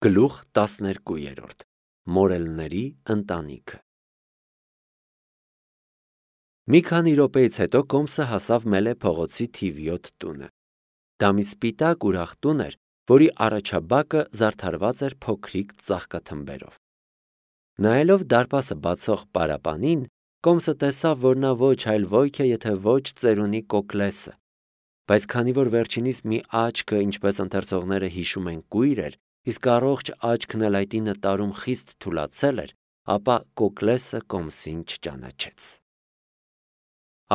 Գլուխ 12 Մորելների ընտանիքը։ Մի քանի րոպեից հետո Կոմսը հասավ Մելե փողոցի թիվ 7 տունը։ Դա մի սպիտակ ուրախ տուն էր, որի առաջաբակը զարդարված էր փոքրիկ ծաղկաթմբերով։ Նայելով դարպասը բացող պարապանին, Կոմսը տեսավ, որ նա ոչ այլ ոյք է, եթե ոչ ծերունի Կոկլեսը, բայց քանի որ վերջինիս մի աչքը, ինչպես ընթերցողները հիշում են, կույր էր, իսկ առողջ աչքն էլ այդ 9 տարում խիստ թուլացել էր, ապա Կոկլեսը Կոմսին չճանաչեց։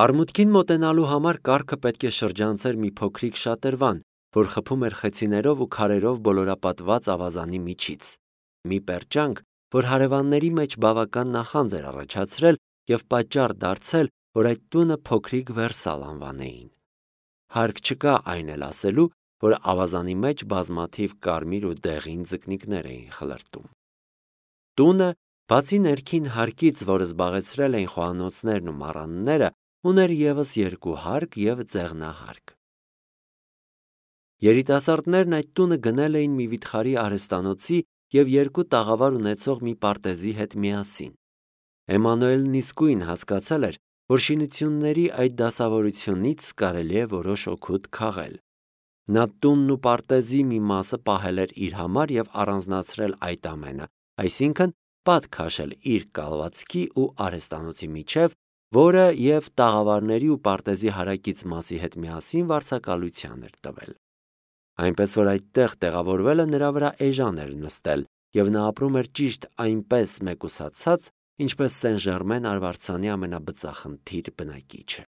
Արմուտքին մոտենալու համար կառքը պետք է շրջանցեր մի փոքրիկ շատրվան, որ խփում էր խեցիներով ու քարերով բոլորապատված ավազանի միջից, մի պերճանք, որ հարևանների մեջ բավական նախանձ էր առաջացրել և պատճառ դարձել, որ այդ տունը փոքրիկ Վերսալ անվանեին։ Հարկ չկա այն էլ ասելու, որ ավազանի մեջ բազմաթիվ կարմիր ու դեղին ձկնիկներ էին խլրտում։ Տունը, բացի ներքին հարկից, որը զբաղեցրել էին խոհանոցներն ու մառանները, ուներ ևս 2 հարկ և ձեղնահարկ։ Երիտասարդներն այդ տունը գնել էին մի վիթխարի արհեստանոցի և 2 տաղավար ունեցող մի պարտեզի հետ միասին։ Էմանուելն իսկույն հասկացել էր, որ շինությունների այդ դասավորությունից կարելի է որոշ օգուտ քաղել։ Նա տունն ու պարտեզի մի մասը պահել էր իր համար և առանձնացրել այդ ամենը, այսինքն պատ քաշել իր կալվածքի ու արհեստանոցի միջև, որը և տաղավարների ու պարտեզի հարակից մասի հետ միասին վարձակալության էր տվել։ Այնպես որ այդտեղ տեղավորվելը նրա վրա էժան էր նստել, և նա ապրում էր ճիշտ այնպես մեկուսացած, ինչպես Սեն-Ժերմեն արվարձանի ամենաբծախնդիր բնակիչը։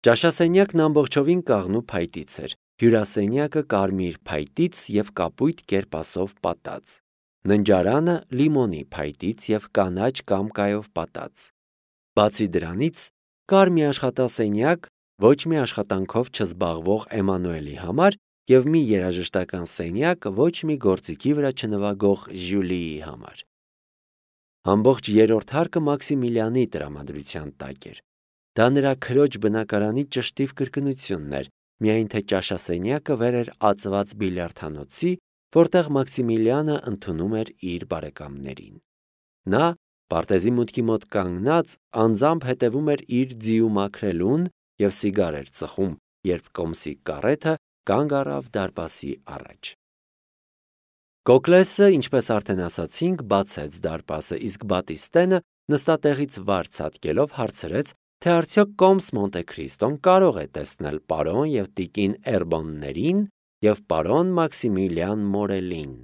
Ճաշասենյակն ամբողջովին կաղնու փայտից էր, հյուրասենյակը կարմիր փայտից և կապույտ կերպասով պատած, ննջարանը լիմոնի փայտից և կանաչ կամկայով պատած։ Բացի դրանից, կար մի աշխատասենյակ ոչ մի աշխատանքով չզբաղվող Էմանուելի համար և մի երաժշտական սենյակ ոչ մի գործիքի վրա չնվագող Ժյուլիի համար։ Ամբողջ 3-րդ հարկը Մաքսիմիլիանի տրամադրության տակ էր։ Դա նրա քրոջ բնակարանի ճշտիվ կրկնությունն էր, միայն թե ճաշասենյակը վեր էր ածված բիլիարդանոցի, որտեղ Մաքսիմիլիանը ընդունում էր իր բարեկամներին։ Նա, պարտեզի մուտքի մոտ կանգնած, անձամբ հետևում էր իր ձիու մաքրելուն և սիգար էր ծխում, երբ Կոմսի կարեթը կանգ առավ դարպասի առաջ։ Կոկլեսը, ինչպես արդեն ասացինք, բացեց դարպասը, իսկ Բատիստենը նստատեղից վար ցատկելով հարցրեց, թե արդյոք Կոմս Մոնտե-Քրիստոն կարող է տեսնել պարոն և տիկին Էրբոններին և պարոն Մաքսիմիլիան Մորելին։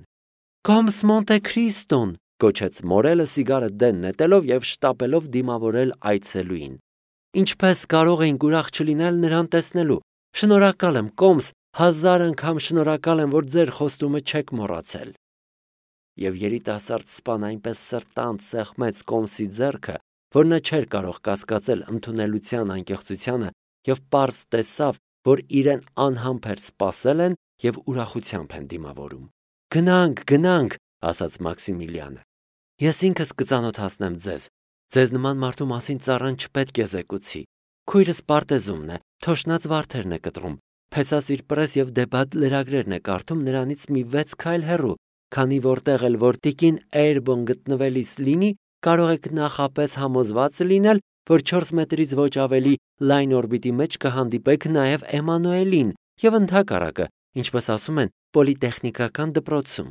«Կոմս Մոնտե-Քրիստոն», գոչեց Մորելը սիգարը դեն նետելով և շտապելով դիմավորել այցելուին։ «Ինչպես կարող էինք ուրախ չլինել նրան տեսնելու։ Շնորհակալ եմ, Կոմս, 1000 անգամ շնորհակալ եմ, որ ձեր խոստումը չեք մոռացել»։ Եվ երիտասարդ սպան այնպես սրտանց սեղմեց Կոմսի ձեռքը, որ նա չէր կարող կասկածել ընդունելության անկեղծությանը և պարզ տեսավ, որ իրեն անհամբեր սպասել են և ուրախությամբ են դիմավորում։ «Գնանք, գնանք», ասաց Մաքսիմիլիանը։ «Ես ինքս կծանոթացնեմ ձեզ։ Ձեզ նման մարդու մասին ծառան չպետք է զեկուցի։ Քույրս պարտեզումն է, թոշնած վարդերն է կտրում, Փեսասիր պրես և դեբատ լրագրերն է կարդում նրանից մի 6 քայլ հեռու, քանի որտեղ էլ որ տիկին Էրբոն գտնվելիս լինի, կարող եք նախապես համոզված լինել, որ 4 մետրից ոչ ավելի լայն օրբիտի մեջ կհանդիպեք նաև Էմանուելին և ընդհակառակը, ինչպես ասում են, պոլիտեխնիկական դպրոցում»։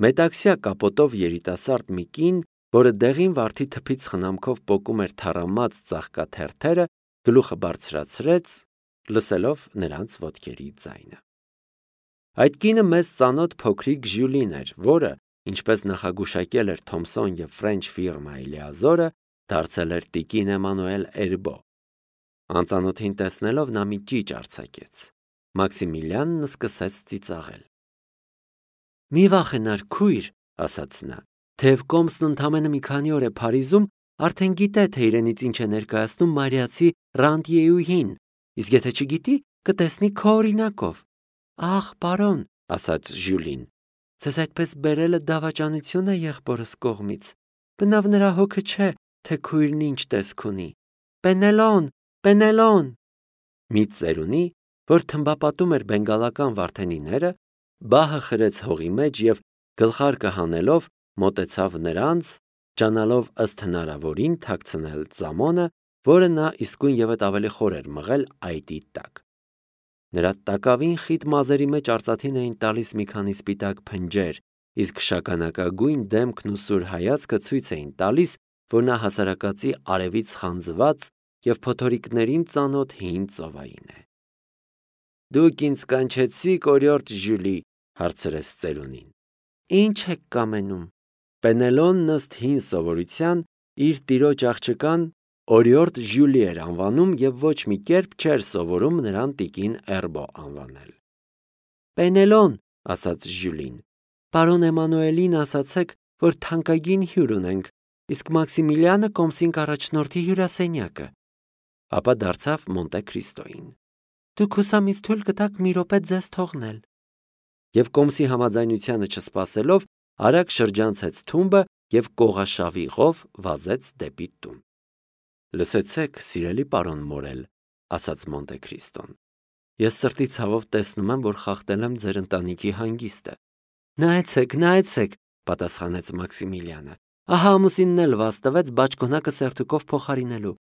Մետաքսյա կապոտով երիտասարդ մի կին, որը դեղին վարդի թփից խնամքով պոկում էր թառամած ծաղկաթերթերը, գլուխը բարձրացրեց, լսելով նրանց ոտքերի ձայնը։ Այդ կինը մեզ ծանոթ փոքրիկ Ժյուլին էր, որը, ինչպես նախագուշակել էր Թոմսոն և Ֆրենչ ֆիրմայի լիազորը, դարձել էր տիկին Էմանուել Էրբո։ Անծանոթին տեսնելով նա մի ճիճ արձակեց։ Մաքսիմիլիանն սկսեց ծիծաղել։ «Մի վախենար, քույր», ասաց նա, «թեև Կոմսն ընդամենը մի քանի օր է Փարիզում, արդեն գիտե, թե իրենից ինչ է ներկայացնում մայրիացի Ռանտյեուհին, իսկ եթե չգիտի, կտեսնի քո օրինակով»։ «Ախ, պարոն», ասաց Ժյուլին, «ձեզ այդպես բերելը դավաճանություն է եղբորս կողմից։ Բնավ նրա հոգը չէ, թե քույրն ինչ տեսք ունի։ Պենելոն, Պենելոն»։ Մի ծերունի, որ թմբապատում էր բենգալական վարդենիները, բահը խրեց հողի մեջ և գլխարկը հանելով մոտեցավ նրանց, ջանալով ըստ հնարավորին թաքցնել ծամոնը, որը նա իսկույն ևեթ ավելի խոր էր մղել այտի տակ։ Նրա տակավին խիտ մազերի մեջ արծաթին էին տալիս մի քանի սպիտակ փնջեր, իսկ շագանակագույն դեմքն ու սուր հայացքը ցույց էին տալիս, որ նա հասարակածի արևից խանձված և փոթորիկներին ծանոթ հին ծովային է։ «Դուք ինձ կանչեցիք օրիորդ Ժյուլի», հարցրեց ծերունին։ «Ինչ եք կամենում»։ Պենելոնն ըստ հին սովորության իր տիրոջ աղջկան օրիորդ Ժյուլի էր անվանում և ոչ մի կերպ չէր սովորում նրան տիկին Էրբո անվանել։ «Պենելոն», ասաց Ժյուլին, «պարոն Էմանուելին ասացեք, որ թանկագին հյուր ունենք, իսկ Մաքսիմիլիանը կոմսին կառաջնորդի հյուրասենյակը»։ Ապա դարձավ Մոնտե Քրիստոյին։ «Դուք հուսամից թույլ կտաք մի րոպե ձեզ թողնել»։ Եվ կոմսի համաձայնությանը չսպասելով, արագ շրջանցեց թումբը և կողաշավիղով վազեց դեպի տուն։ «Լսեցեք, սիրելի պարոն Մորել», ասաց Մոնտե Քրիստոն, «ես սրտի ցավով տեսնում եմ, որ խախտել եմ ձեր ընտանիքի հանգիստը»։ Նայեցեք, պատասխանեց Մաքսիմիլիանը, ահա ամուսինն էլ վազ տվեց բաճկոնակը սերտուկով փոխարինելու։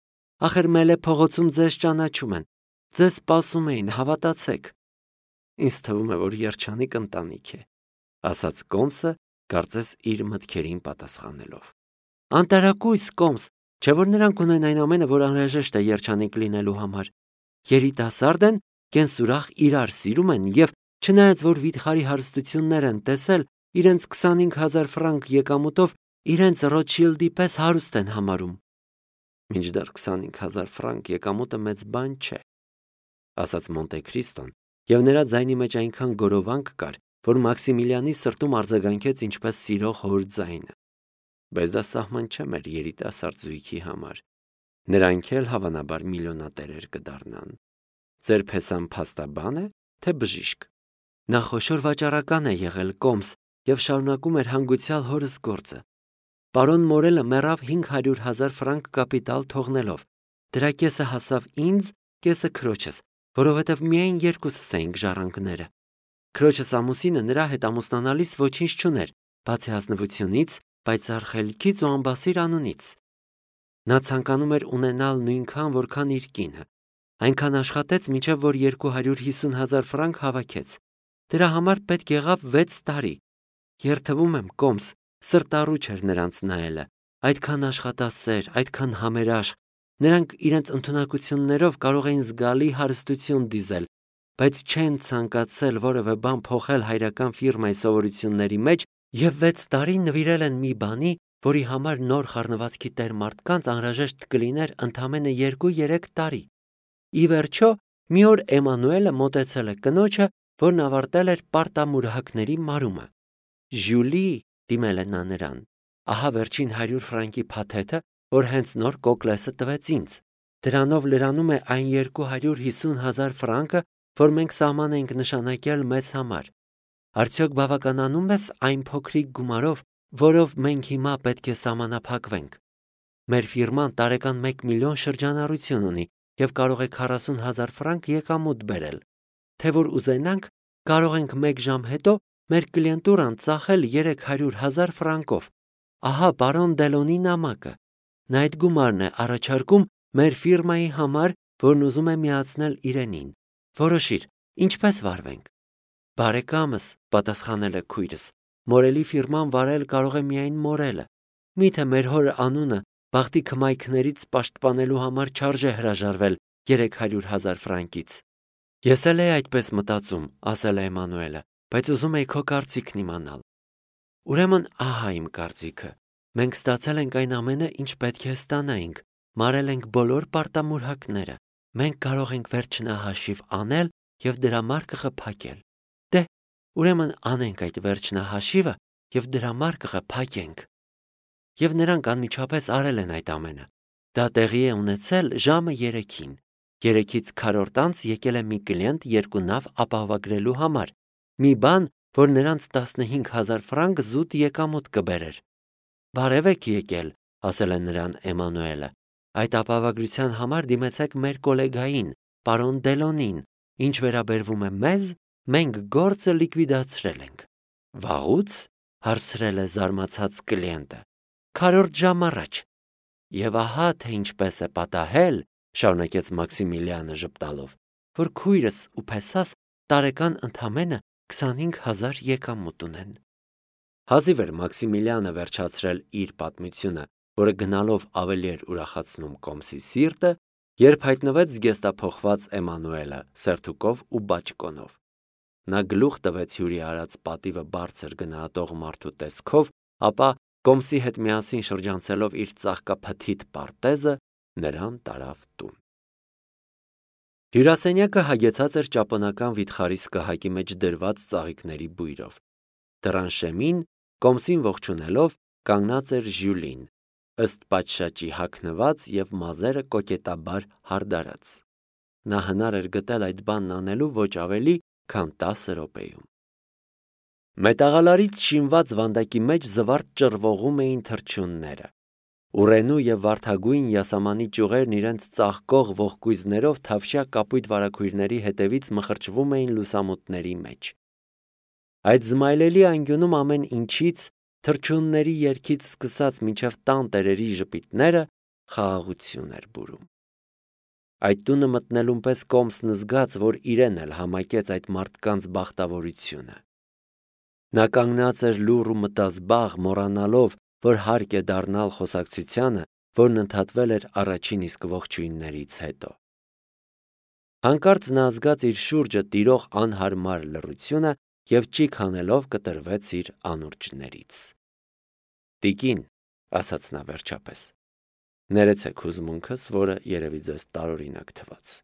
Ախր Մելե փողոցում ձեզ ճանաչում են, ձեզ սպասում էին, հավատացեք։ Ինձ թվում է, որ երջանիկ ընտանիք է, ասաց կոմսը, կարծես իր մտքերին պատասխանելով։ Անտարակույս կոմս, չէ որ նրանք ունեն այն ամենը, որ անհրաժեշտ է երջանիկ լինելու համար։ Երիտասարդ են, կենսուրախ իրար սիրում են և չնայած որ վիթխարի հարստություններ են տեսել, իրենց 25,000 ֆրանկ եկամուտով իրենց Ռոթշիլդի պես հարուստ են համարում։ Մինչդեռ 25,000 ֆրանկ եկամուտը մեծ բան չէ, ասաց Մոնտե Քրիստոն, և նրա ձայնի մեջ այնքան գորովանք կար, որ Մաքսիմիլիանի սրտում արձագանքեց ինչպես սիրող հոր ձայնը։ Բայց դա սահման չէ մեր երիտասարդ զույգի համար։ Նրանք էլ հավանաբար միլիոնատերեր կդառնան։ Ձեր փեսան փաստաբան է, թե բժիշկ։ Նա խոշոր վաճառական է եղել կոմս և շարունակում էր հանգուցյալ հորս գործը։ Պարոն Մորելը մեռավ 500,000 ֆրանկ կապիտալ թողնելով։ Դրա կեսը հասավ ինձ, կեսը քրոջս, որովհետև միայն երկուսս էինք ժառանգները։ Քրոջս ամուսինը նրա հետ ամուսնանալիս ոչինչ չուներ, բացի ազնվությունից, պայծառ խելքից ու անբասիր անունից։ Նա ցանկանում էր ունենալ նույնքան, որքան իր կինը։ Այնքան աշխատեց, մինչև որ 250,000 ֆրանկ հավաքեց։ Դրա համար պետք եղավ 6 տարի։ Երդվում եմ, կոմս, սրտառուչ էր նրանց նայելը, այդքան աշխատասեր, այդքան համերաշխ։ Նրանք իրենց ընդունակություններով կարող էին զգալի հարստություն դիզել, բայց չեն ցանկացել որևէ բան փոխել հայրական ֆիրմայի սովորությունների մեջ և 6 տարի նվիրել են մի բանի, որի համար նոր խառնվածքի տեր մարդկանց անհրաժեշտ կլիներ ընդամենը 2-3 տարի։ Ի վերջո, մի օր Էմանուելը մոտեցել է կնոջը, որն ավարտել էր պարտամուրհակների մարումը։ Ժյուլի, դիմել է նա նրան, ահա վերջին 100 ֆրանկի փաթեթը, որ հենց նոր Կոկլեսը տվեց ինձ։ Դրանով լրանում է այն 250,000 ֆրանկը, որ մենք սահման ենք նշանակել մեզ համար։ Արդյոք բավականանում ես այն փոքրիկ գումարով, որով մենք հիմա պետք է սահմանափակվենք։ Մեր ֆիրման տարեկան 1 միլիոն շրջանառություն ունի և կարող է 40,000 ֆրանկ եկամուտ բերել։ Թե որ ուզենանք, կարող ենք 1 ժամ հետո մեր կլիենտուրան ծախել 300,000 ֆրանկով։ Ահա պարոն Դելոնի նամակը։ Նա այդ գումարն է առաջարկում մեր ֆիրմայի համար, որն ուզում է միացնել իրենին։ Որոշիր, ինչպես վարվենք։ Բարեկամս, պատասխանել է քույրս, Մորելի ֆիրման վարել կարող է միայն Մորելը։ Միթե մեր հոր անունը բախտի քմայքներից պաշտպանելու համար չարժե հրաժարվել 300,000 ֆրանկից։ Ես էլ էի այդպես մտածում, ասել է Էմանուելը, բայց ուզում էի քո կարծիքն իմանալ։ Ուրեմն ահա իմ կարծիքը։ Մենք ստացել ենք այն ամենը, ինչ պետք է ստանայինք, մարել ենք բոլոր պարտամուրհակները։ Մենք կարող ենք վերջնահաշիվ անել և դրամարկղը փակել։ Դե, ուրեմն անենք այդ վերջնահաշիվը և դրամարկղը փակենք։ Եվ նրանք անմիջապես արել են այդ ամենը։ Դա տեղի է ունեցել ժամը 3-ին։ 3-ից քառորդ անց եկել է մի կլիենտ 2 նավ ապահովագրելու համար։ Մի բան, որ նրանց 15,000 ֆրանկ զուտ եկամուտ կբերեր։ Բարև եք եկել, ասել է նրան Էմանուելը։ Այդ ապահովագրության համար դիմեցեք մեր գոլեգային, պարոն Դելոնին։ Ինչ վերաբերվում է մեզ, մենք գործը լիկվիդացրել ենք։ Վաղուց, հարցրել է զարմացած կլիենտը, քառորդ ժամ առաջ։ Եվ ահա թե ինչպես է պատահել, շարունակեց Մաքսիմիլիանը ժպտալով, որ քույրս ու փեսաս տարեկան ընդամենը 25,000 եկամուտ ունեն։ Հազիվ էր Մաքսիմիլիանը վերջացրել իր պատմությունը, որը գնալով ավելի էր ուրախացնում Կոմսի սիրտը, երբ հայտնվեց զգեստափոխված Էմանուելը սերթուկով ու բաճկոնով։ Նա գլուխ տվեց հյուրի արած պատիվը բարձր գնահատող մարդու տեսքով, ապա Կոմսի հետ միասին շրջանցելով իր ծաղկափթիթ պարտեզը, նրան տարավ տուն։ Հյուրասենյակը հագեցած էր ճապոնական վիթխարի սկահակի մեջ դրված ծաղիկների բույրով։ Դռան շեմին, Կոմսին ողջունելով, կանգնած էր Ժյուլին, ըստ պատշաճի հագնված եւ մազերը կոկետաբար հարդարած։ Նա հնար էր գտել այդ բանն անելու ոչ ավելի, քան 10 րոպեում։ Մետաղալարից շինված վանդակի մեջ զվարթ ճռվողում էին թռչունները։ Ուռենու եւ վարդագույն յասամանի ճյուղերն իրենց ծաղկող ողկույզներով թավշյա կապույտ վարագույրների հետևից մխրճվում էին լուսամուտների մեջ։ Այդ զմայլելի անկյունում ամեն ինչից, թռչունների երգից սկսած մինչև տան տերերի ժպիտները, խաղաղություն էր բուրում։ Այդ տունը մտնելուն պես Կոմսն զգաց, որ իրեն էլ համակեց այդ մարդկանց բախտավորությունը։ Նա կանգնած էր լուռ ու մտազբաղ, մոռանալով, որ հարկ է դառնալ խոսակցությանը, որն ընդհատվել էր առաջին իսկ ողջույններից հետո։ Հանկարծ նա զգաց իր շուրջը տիրող անհարմար լռությունը և ճիգ հանելով կտրվեց իր անուրջներից։ «Տիկին», ասաց նա վերջապես, «ներեցեք հուզմունքս, որը երևի ձեզ տարօրինակ թվաց։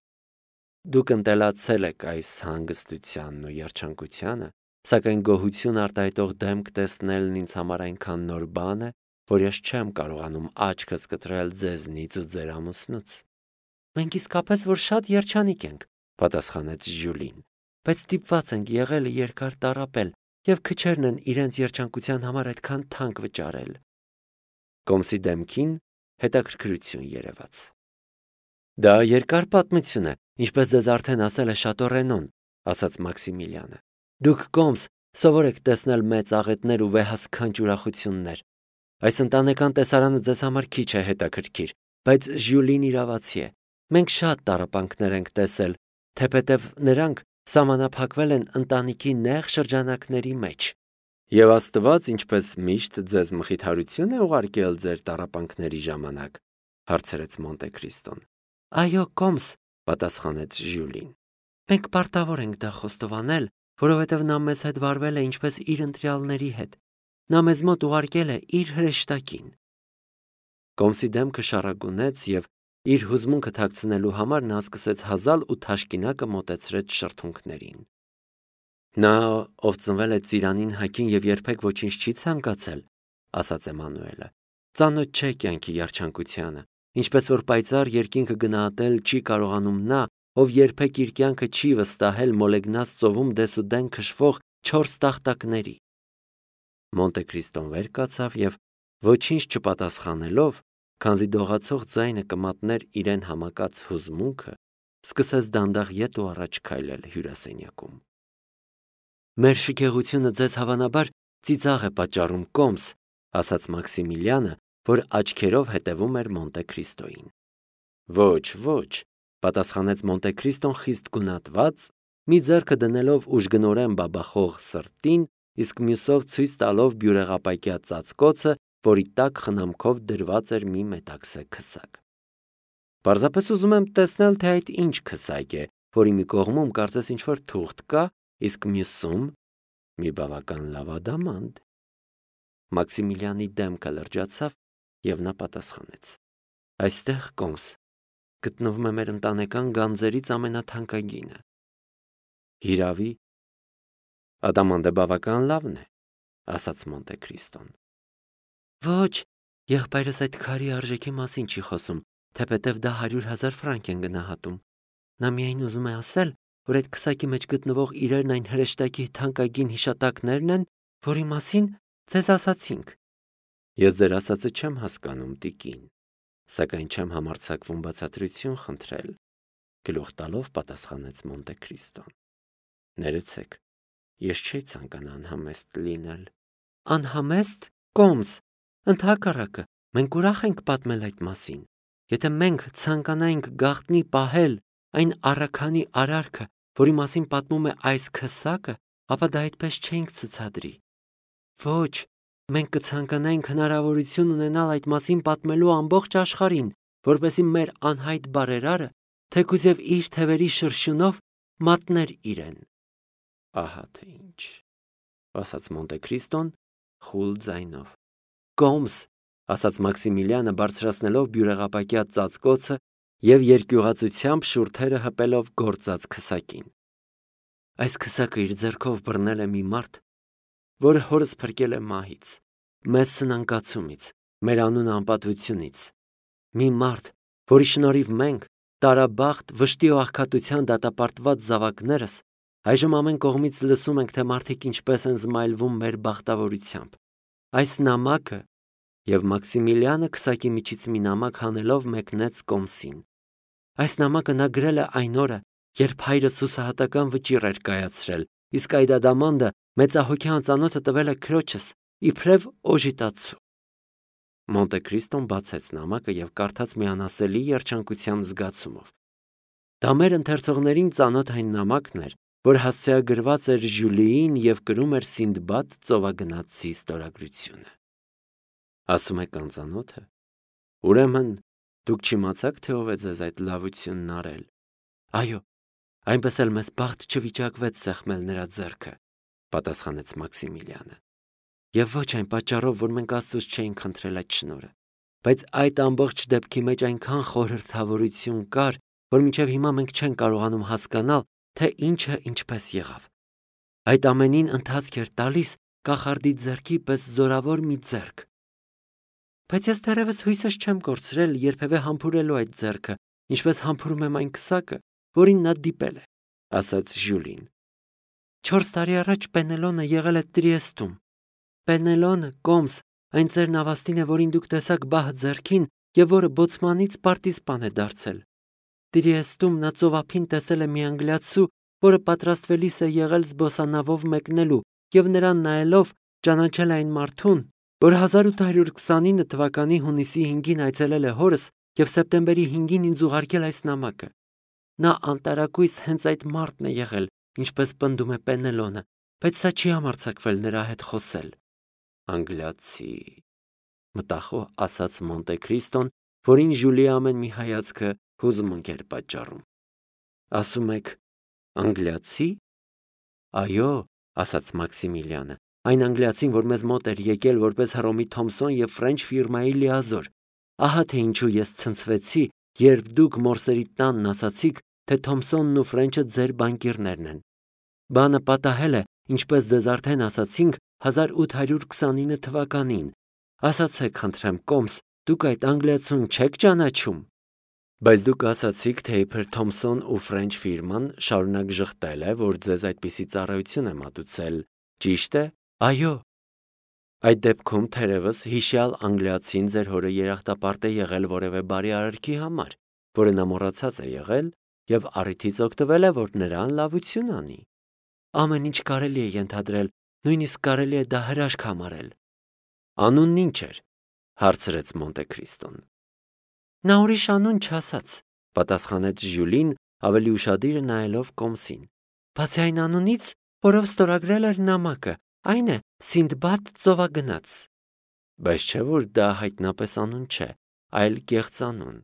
Դուք ընտելացել եք այս հանգստությանն ու երջանկությանը, սակայն գոհություն արտահայտող դեմք տեսնելն ինձ համար այնքան նոր բան է, որ ես չեմ կարողանում աչքս կտրել ձեզնից ու ձեր ամուսնուց»։ «Մենք իսկապես որ շատ երջանիկ ենք», պատասխանեց Ժյուլին, «բայց ստիպված ենք եղել երկար տառապել և քչերն են իրենց երջանկության համար այդքան թանկ վճարել»։ Կոմսի դեմքին հետաքրքրություն երևաց։ «Դա երկար պատմություն է, ինչպես ձեզ արդեն ասել է Շատո ասաց Մաքսիմիլիանը։ Դուք Կոմս սովոր եք տեսնել մեծ աղետներ ու վեհասքանչ ուրախություններ։ Այս ընտանեկան տեսարանը ձեզ համար քիչ է հետաքրքիր, բայց Ժյուլին իրավացի է։ Մենք շատ տառապանքներ ենք տեսել, թեպետև նրանք սահմանափակվել են ընտանիքի նեղ շրջանակների մեջ։ Եվ Աստված, ինչպես միշտ, ձեզ մխիթարություն է ուղարկել ձեր տառապանքների ժամանակ, հարցրեց Մոնտեքրիստոն։ Այո, Կոմս, պատասխանեց Ժյուլին։ Մենք պարտավոր ենք դա խոստովանել, որովհետև նա մեզ հետ վարվել է ինչպես իր ընտրյալների հետ։ Նա մեզ մոտ ուղարկել է իր հրեշտակին։ Կոմսի դեմքը շառագունեց և իր հուզմունքը թաքցնելու համար նա սկսեց հազալ ու թաշկինակը մոտեցրեց շրթունքներին։ Նա, ով ծնվել է ծիրանին հագին և երբեք ոչինչ չի ցանկացել, ասաց Էմանուելը, ծանոթ չէ կյանքի երջանկությանը, ինչպես որ պայծառ երկինքը գնահատել չի կարողանում նա, ով երբեք իր կյանքը չի վստահել մոլեգնած ծովում դեսուդեն քշվող 4 տախտակների։ Մոնտեքրիստոն վեր կացավ և ոչինչ չպատասխանելով, քանզի դողացող ձայնը կմատներ իրեն համակած հուզմունքը, սկսեց դանդաղ ետ ու առաջ քայլել հյուրասենյակում։ Մեր շքեղությունը ձեզ հավանաբար ծիծաղ է պատճառում, Կոմս, ասաց Մաքսիմիլիանը, որ աչքերով հետևում էր Մոնտեքրիստոյին։ Ոչ, ոչ, պատասխանեց Մոնտեքրիստոն խիստ գունատված, մի ձեռքը դնելով ուժգնորեն բաբախող սրտին, իսկ մյուսով ցույց տալով բյուրեղապակյա ծածկոցը, որի տակ խնամքով դրված էր մի մետաքսե քսակ։ Պարզապես ուզում եմ տեսնել, թե այդ ինչ քսակ է, որի մի կողմում կարծես ինչ-որ թուղթ կա, իսկ մյուսում մի բավական լավ ադամանդ։ Մաքսիմիլիանի դեմքը լրջացավ և նա պատասխանեց. Այստեղ, Կոմս, գտնվում է մեր ընտանեկան գանձերից ամենաթանկագինը։ Հիրավի, ադամանդը բավական լավն է, ասաց Մոնտեքրիստոն։ Ոչ, եղբայրս այդ քարի արժեքի մասին չի խոսում, թեպետև դա 100,000 ֆրանկ են գնահատում։ Նա միայն ուզում է ասել, որ այդ քսակի մեջ գտնվող իրերն այն հրեշտակի թանկագին հիշատակներն են, որի մասին ձեզ ասացինք։ Ես ձեր ասածը չեմ հասկանում, տիկին, սակայն չեմ համարձակվում բացատրություն խնդրել, գլուխ տալով պատասխանեց Մոնտեքրիստոն։ Ներեցեք, ես չէի ցանկանա անհամեստ լինել։ Անհամեստ, կոմս, ընդհակառակը, մենք ուրախ ենք պատմել այդ մասին։ Եթե մենք ցանկանայինք գաղտնի պահել այն առաքանի արարքը, որի մասին պատմում է այս քսակը, ապա դա այդպես չէինք ցուցադրի։ Ոչ, մենք կցանկանայինք հնարավորություն ունենալ այդ մասին պատմելու ամբողջ աշխարհին, որպեսզի մեր անհայտ բարերարը, թեկուզ եւ իր թևերի շրշյունով մատներ իրեն։ Ահա թե ինչ, ասաց Մոնտե Քրիստոն խուլ ձայնով։ Կոմս, ասաց Մաքսիմիլիանը բարձրացնելով բյուրեղապակյա ծածկոցը եւ երկյուղացությամբ շուրթերը հպելով գործած քսակին։ Այս քսակը իր ձեռքով բռնել է մի մարդ, որը հորս փրկել է մահից, մեզ սնանկացումից, մեր անունը անպատվությունից։ Մի մարդ, որի շնորհիվ մենք, տարաբախտ, վշտի ու աղքատության դատապարտված զավակներս, այժմ ամեն կողմից լսում ենք, թե մարդիկ ինչպես են զմայլվում մեր բախտավորությամբ։ Այս նամակը, եւ Մաքսիմիլիանը քսակի միջից մի նամակ հանելով մեկնեց Կոմսին։ Այս նամակը նա գրել է այն օրը, երբ հայրս հուսահատական վճիռ էր կայացրել, իսկ այդ ադամանդը մեծահոգի անծանոթը տվել է քրոջս, իբրև օժիտացու։ Մոնտե Քրիստոն բացեց նամակը եւ կարդաց մի անասելի երջանկության զգացումով։ Դա մեր ընթերցողներին ծանոթ այն նամակն էր, որ հասցեագրված էր Ժյուլիին եւ կրում էր Սինդբադ ծովագնացի ստորագրությունը։ Ասում եք անծանոթը։ Ուրեմն դուք չիմացաք, թե ով է ձեզ այդ լավությունն արել։ Այո, այնպես էլ մեզ բախտ չվիճակվեց սեղմել նրա ձեռքը, պատասխանեց Մաքսիմիլիանը։ Եվ ոչ այն պատճառով, որ մենք Աստծուց չէինք խնդրել այդ շնորհը, բայց այդ ամբողջ դեպքի մեջ այնքան խորհրդավորություն կար, որ մինչև հիմա մենք չենք կարողանում հասկանալ, թե ինչը ինչպես եղավ։ Այդ ամենին ընթացք էր տալիս կախարդի ձեռքի պես զորավոր մի ձեռք։ Բայց ես դեռևս հույսս չեմ կորցրել երբևէ համբուրելու այդ ձեռքը, ինչպես համբուրում եմ այն քսակը, որին նա դիպել է, ասաց Ժյուլին։ 4 տարի առաջ Պենելոնը եղել է Տրիեստում։ Պենելոնը, Կոմս, այն ծեր նավաստին է, որին դուք տեսաք բահ ձեռքին եւ որը բոցմանից պարտիզպան է դարձել։ Տրիեստում նա ծովափին տեսել է մի անգլիացու, որը պատրաստվելիս է եղել զբոսանավով մեկնելու եւ նրան նայելով ճանաչել այն մարդուն, որ 1829 թվականի հունիսի 5-ին այցելել է հորս եւ սեպտեմբերի 5-ին ինձ ուղարկել այս նամակը։ Նա անտարակույս հենց այդ մարդն է եղել, ինչպես պնդում է Պենելոնը, բայց սա չի համարձակվել նրա հետ խոսել։ Անգլիացի, մտախոհ ասաց Մոնտե Քրիստոն, որին Ժյուլիի ամեն մի հայացքը հուզմունք էր պատճառում։ Ասում եք, անգլիացի։ Այո, ասաց Մաքսիմիլիանը, այն անգլիացին, որ մեզ մոտ էր եկել որպես Հռոմի Թոմսոն եւ Ֆրենչ ֆիրմայի լիազոր։ Ահա թե ինչու ես ցնցվեցի, երբ դուք Մորսերի տանն ասացիք, թե Թոմսոնն ու Ֆրենչը ձեր բանկիրներն են։ Բանը պատահել է, ինչպես ձեզ արդեն ասացինք, 1829 թվականին։ Ասացեք, խնդրեմ, Կոմս, դուք այդ անգլիացուն չեք ճանաչում։ Բայց դուք ասացիք, թե իբր Թոմսոն ու Ֆրենչ ֆիրման շարունակ ժխտել է, որ ձեզ այդպիսի ծառայություն է մատուցել, ճիշտ է։ Այո։ Այդ դեպքում թերևս հիշյալ անգլիացին ձեր հորը երախտապարտ է եղել որևէ բարի արարքի համար, որը նա մոռացած է եղել եւ առիթից օգտվել է, որ նրան լավություն անի։ Ամեն ինչ կարելի է ենթադրել, նույնիսկ կարելի է դա հրաշք համարել։ Անունն ինչ էր, հարցրեց Մոնտե Քրիստոն։ Նա ուրիշ անուն չասաց, պատասխանեց Ժյուլին ավելի ուշադիր նայելով Կոմսին։ Բացի այն անունից, որով ստորագրել էր նամակը, այն է Սինդբադ ծովագնաց։ Բայց չէ որ դա հայտնապես անուն չէ, այլ կեղծանուն։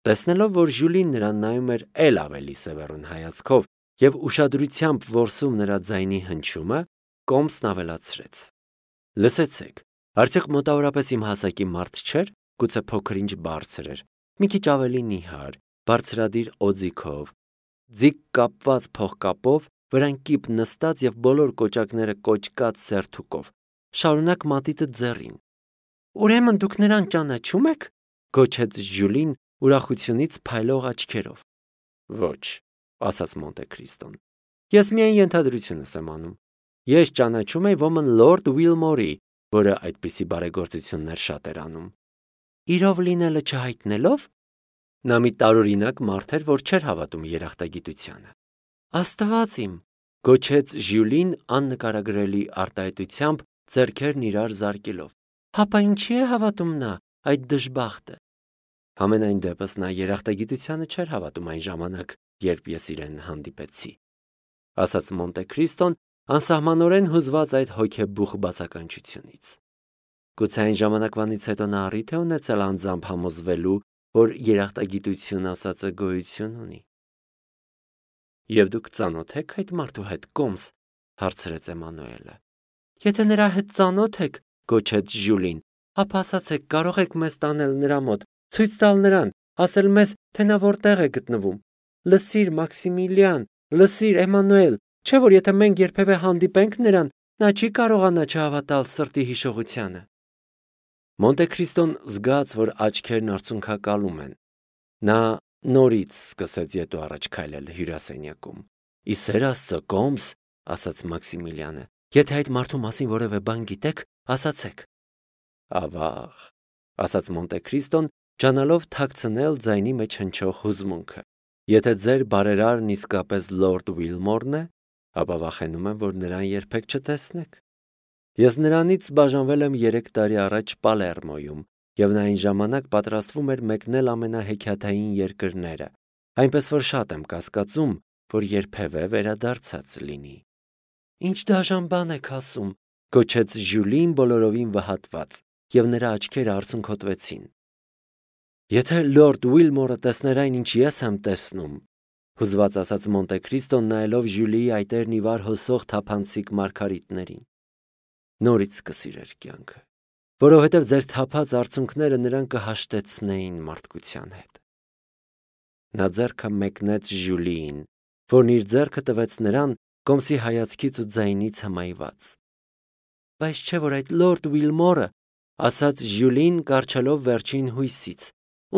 Տեսնելով, որ Ժյուլին նրան նայում էր էլ ավելի սևեռուն հայացքով եւ ուշադրությամբ որսում նրա ձայնի հնչյումը, Կոմսն ավելացրեց. Լսեցեք, արդյոք մոտավորապես իմ հասակի մարդ չէր, գուցե փոքր-ինչ բարձր էր, մի քիչ ավելի նիհար, բարձրադիր օձիքով, ձիգ կապված փողկապով, վրան կիպ նստած եւ բոլոր կոճակները կոճկած սերթուկով, շարունակ մատիտը ձեռին։ Ուրեմն դուք նրան ճանաչում եք, գոչեց Ժյուլին ուրախությունից փայլող աչքերով։ Ոչ, ասաց Մոնտե Քրիստոն։ Ես միայն ենթադրությունս եմ անում։ Ես ճանաչում եմ ոմն Լորդ Ուիլմորի, որը այդպիսի բարեգործություններ շատ էր անում։ Իրով լինելը չհայտնելով, նա մի տարօրինակ մարդ էր, որ չէր հավատում երախտագիտությանը։ Աստված իմ, գոչեց Ժյուլին աննկարագրելի արտահայտությամբ ձեռքերն իրար զարկելով։ Հապա ինչի է հավատում նա, այդ դժբախտը։ Համենայն դեպս նա երախտագիտությանը չէր հավատում այն ժամանակ, երբ ես իրեն հանդիպեցի, ասաց Մոնտե Քրիստոն, անսահմանորեն հուզված այդ հոգեբուխ բացականչությունից։ Գուցե այն ժամանակվանից հետո նա առիթ է ունեցել անձամբ համոզվելու, որ երախտագիտություն ասածը գոյություն ունի։ Եվ դուք ծանոթ եք այդ մարդու հետ, Կոմս, հարցրեց Էմանուելը։ Եթե նրա հետ ծանոթ եք, գոչեց Ժյուլին, ապա ասացեք, կարող եք մեզ տանել նրա մոտ, ցույց տալ նրան, ասել մեզ, թե նա որտեղ է գտնվում։ Լսիր, Մաքսիմիլիան, լսիր, Էմանուել, չէ՞ որ եթե մենք երբևէ հանդիպենք նրան, նա չի կարողանա չհավատալ սրտի հիշողությանը։ Մոնտե Քրիստոն զգաց, որ աչքերն արցունքակալում են։ Նա նորից սկսեց ետո առաջ քայլել հյուրասենյակում։ Իսեր Աստծո, Կոմս, ասաց Մաքսիմիլիանը, եթե այդ մարդու մասին որևէ բան գիտեք, ասացեք։ Ավաղ, ասաց Մոնտե Քրիստոն, ճանալով թաքցնել ձայնի մեջ հնչող հուզմունքը։ Եթե ձեր բարերարն իսկապես Լորդ Ուիլմորն է, ապա վախենում եմ, որ նրան երբեք չտեսնեք։ Ես նրանից բաժանվել եմ 3 տարի առաջ Պալերմոյում, եւ նա այն ժամանակ պատրաստվում էր մեկնել ամենահեքիաթային երկրները, այնպես որ շատ եմ կասկածում, որ երբևէ վերադարձած լինի։ Ինչ դաժան բան եք ասում, գոչեց Ժյուլին բոլորովին վհատված, եւ նրա աչքերը արցունքոտվեցին։ Եթե Լորդ Ուիլմորը տեսներ այն, ինչ ես եմ տեսնում, հուզված ասաց Մոնտե Քրիստոն, նայելով Ժյուլիի այտերն ի վար հոսող թափանցիկ մարգարիտներին։ Նորից կսիրեր կյանքը, որովհետև ձեր թափած արցունքները նրան կհաշտեցնեին մարդկության հետ։ Նա ձեռքը մեկնեց Ժյուլիին, որն իր ձեռքը տվեց նրան Կոմսի հայացքից ու ձայնից հմայված։ Բայց չէ՞ որ այդ Լորդ Ուիլմորը, ասաց Ժյուլին, կառչելով վերջին հույսից,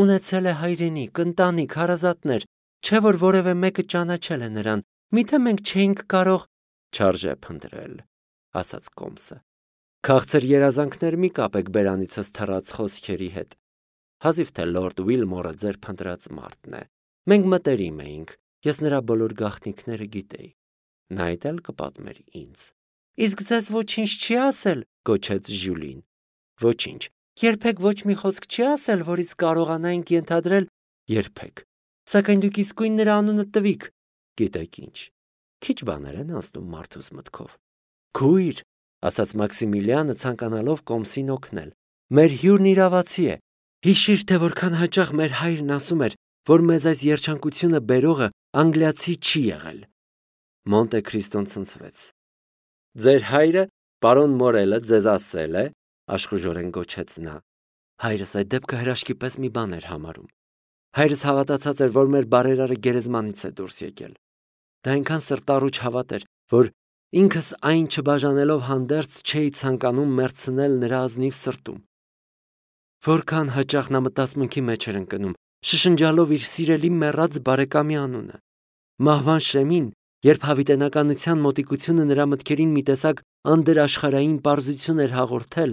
ունեցել է հայրենիք, ընտանիք, հարազատներ, չէ՞ որ որևէ մեկը ճանաչել է նրան, միթե մենք չէինք կարող չարժե փնտրել, ասաց Կոմսը։ Քաղցր երազանքներ մի կապեք բերանիցս թռած խոսքերի հետ։ Հազիվ թե Լորդ Ուիլմորը ձեր փնտրած մարդն է։ Մենք մտերիմ էինք, ես նրա բոլոր գաղտնիքները գիտեի։ Նա այդ էլ կպատմեր ինձ։ Իսկ ձեզ ոչինչ չի ասել, գոչեց Ժյուլին։ Ոչինչ, երբեք ոչ մի խոսք չի ասել, որից կարողանայինք ենթադրել, երբեք։ Սակայն դուք իսկույն նրա անունը տվիք։ Գիտեք ինչ։ Քիչ բաներ են անցնում մարդուս մտքով։ Քույր, ասաց Մաքսիմիլիանը, ցանկանալով Կոմսին օգնել։ Մեր հյուրն իրավացի է։ Հիշիր, թե որքան հաճախ մեր հայրն ասում էր, որ մեզ այս երջանկությունը բերողը անգլիացի չի եղել։ Մոնտե Քրիստոն ցնցվեց։ Ձեր հայրը, պարոն Մորելը, ձեզ ասել է, աշխուժորեն գոչեց նա։ Հայրս այդ դեպքը հրաշքի պես մի բան էր համարում։ Հայրս հավատացած էր, որ մեր բարերարը գերեզմանից է դուրս եկել։ Դա այնքան սրտառուչ հավատ էր, որ ինքս այն չբաժանելով հանդերձ չէի ցանկանում մեռցնել նրա ազնիվ սրտում։ Որքան հաճախ նա մտածմունքի մեջ էր ընկնում, շշնջալով իր սիրելի մեռած բարեկամի անունը։ Մահվան շեմին, երբ հավիտենականության մոտիկությունը նրա մտքերին մի տեսակ անդրաշխարհային պարզություն էր հաղորդել,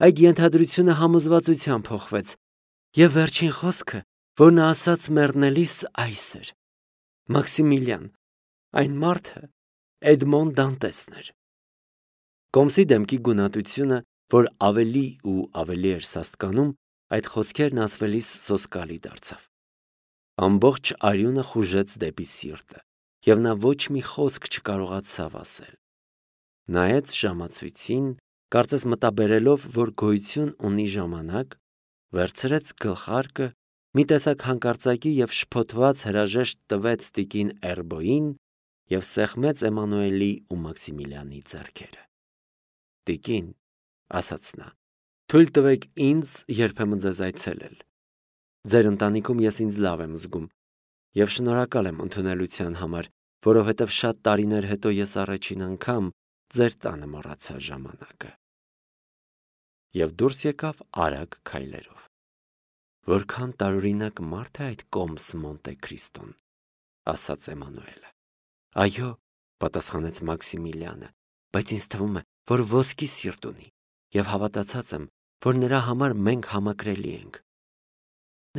այդ ենթադրությունը համոզվածության փոխվեց, եւ վերջին խոսքը, որ նա ասաց մեռնելիս, այս էր. Մաքսիմիլիան, այն մարդը Էդմոն Դանտեսն էր։ Կոմսի դեմքի գունատությունը, որ ավելի ու ավելի էր սաստկանում, այդ խոսքերն ասվելիս սոսկալի դարձավ։ Ամբողջ արյունը խուժեց դեպի սիրտը, եւ նա ոչ մի խոսք չկարողացավ ասել։ Նայեց ժամացույցին, կարծես մտաբերելով, որ գոյություն ունի ժամանակ, վերցրեց գլխարկը, մի տեսակ հանկարծակի եւ շփոթված հրաժեշտ տվեց տիկին Էրբոյին եւ սեղմեց Էմանուելի ու Մաքսիմիլիանի ձեռքերը։ Տիկին, ասաց նա, թույլ տվեք ինձ երբեմն ձեզ այցելել։ Ձեր ընտանիքում ես ինձ լավ եմ զգում եւ շնորհակալ եմ ընդունելության համար, որովհետեւ շատ տարիներ հետո ես առաջին անգամ ձեր տանը մոռացա ժամանակը։ Եվ դուրս եկավ արագ քայլերով։ Որքան տարօրինակ մարդ է այդ Կոմս Մոնտե Քրիստոն, ասաց Էմանուելը։ Այո, պատասխանեց Մաքսիմիլիանը, բայց ինձ թվում է, որ ոսկի սիրտ ունի, եւ հավատացած եմ, որ նրա համար մենք համակրելի ենք։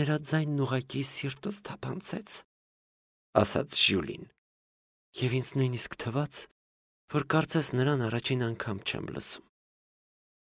Նրա ձայնն ուղղակի սիրտս թափանցեց, ասաց Ժյուլին։ Եվ ինձ նույնիսկ թվաց, որ կարծես նրան առաջին անգամ չեմ լսում։